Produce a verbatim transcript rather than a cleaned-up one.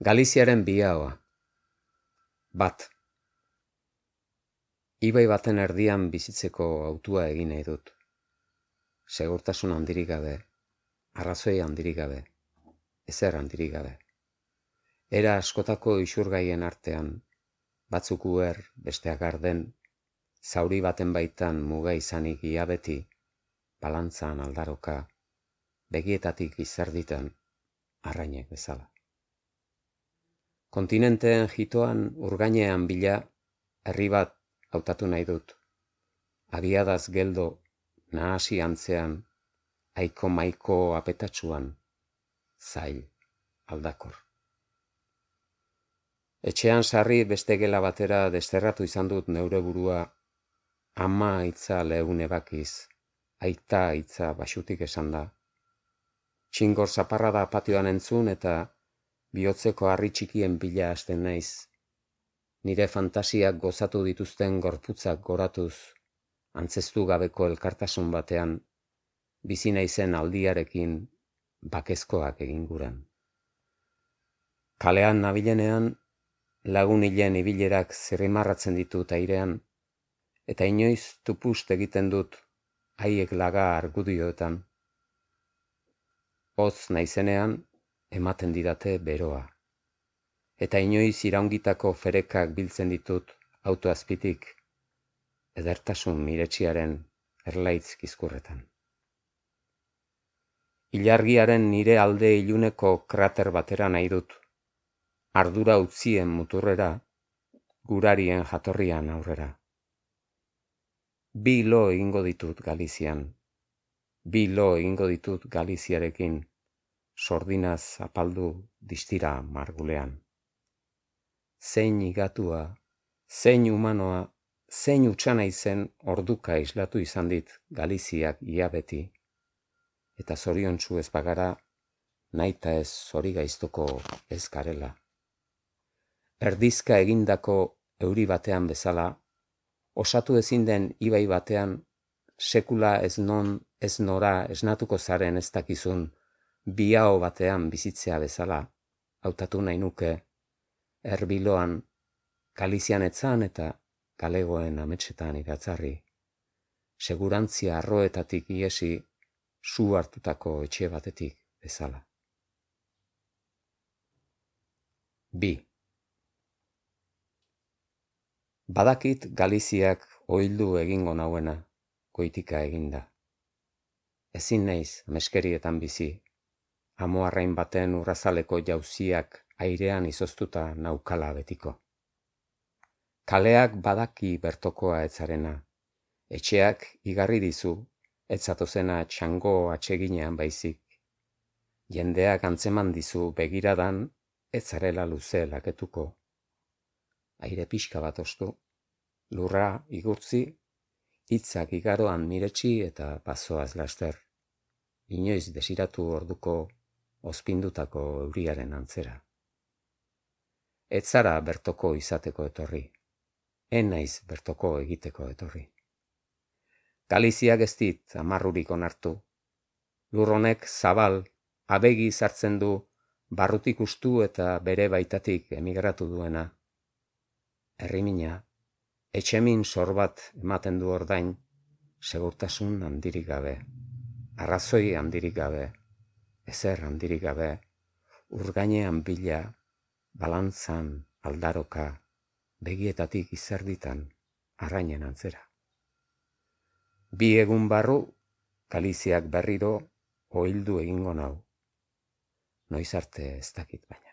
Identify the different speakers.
Speaker 1: Galiziaren bihaoa. Bat. Ibai baten erdian bizitzeko hautua egin nahi dut. Segurtasun handirik gabe, arrazoi handirik gabe, ezer handirik gabe. Era askotako isurgaien artean, batzuk uher, besteak arden, zauri baten baitan muga izanik ia beti, balantzan aldaroka, begietatik izerditan, arrainek bezala. Kontinenteen jitoan urgainean bila, herri bat hautatu nahi dut. Abiadaz geldo, nahasi antzean, aiko maiko apetatsuan, zail, aldakor. Etxean sarri beste gela batera desterratu izan dut neure burua, ama hitza lehun ebakiz, aita hitza basutik esan da. Txingor zaparra da patioan entzun eta bihotzeko harri txikien bila hasten naiz. Nire fantasiak gozatu dituzten gorputzak goratuz, antzestu gabeko elkartasun batean, bizi naizen aldiarekin bakezkoak egin guran. Kalean nabilenean, lagun hilen ibilerak zirrimarratzen ditut airean, eta inoiz tupust egiten dut haiek laga argudioetan. Hotz naizenean, ematen didate beroa. Eta inoiz iraungitako ferekak biltzen ditut autoazpitik, edertasun miretxiaren erlaitz kizkurretan. Ilargiaren nire alde iluneko krater batera nahi dut, ardura utzien muturrera, gurarien jatorrian aurrera. Bi lo egingo ditut Galizian, bi lo egingo ditut Galiziarekin, sordinaz apaldu distira margulean. Zein igatua, zein humanoa, zein utxana izen orduka islatu izan dit Galiziak ia beti, eta zoriontsu ez bagara, naita ez zori gaiztoko ez garela. Erdizka egindako euri batean bezala, osatu ezin den ibai batean, sekula ez non ez nora esnatuko zaren ez dakizun, biao batean bizitzea bezala, hautatu nahi nuke, erbiloan, Galizian etzan eta galegoen ametsetan iratzarri, segurantzia arroetatik iesi, su hartutako etxe batetik bezala. Bi. Badakit Galiziak oildu egingo nauena, goitika eginda. Ezin naiz ameskerietan bizi, amoarrain baten urrazaleko jauziak airean izoztuta naukala betiko. Kaleak badaki bertokoa etzarena, etxeak igarri dizu, etzatozena txango atseginean baizik. Jendeak antzeman dizu begiradan, etzarela luze laketuko. Aire pixka bat ostu, lurra igurtzi, hitzak igaroan miretsi eta pasoaz laster. Inoiz desiratu orduko ozpindutako euriaren antzera. Ez zara bertoko izateko etorri, en naiz bertoko egiteko etorri. Galiziak ez dit amarrurik onartu. Lur honek zabal, abegi sartzen du, barrutik ustu eta bere baitatik emigratu duena. Herrimina, etxemin sor bat ematen du ordain, segurtasun handirik gabe, arrazoi handirik gabe, ezer handirik gabe, urgainean bila, balantzan aldaroka, begietatik izerditan, arrainen antzera. Bi egun barru, Galiziak berriro oildu egingo nau. Noiz arte ez dakit baina.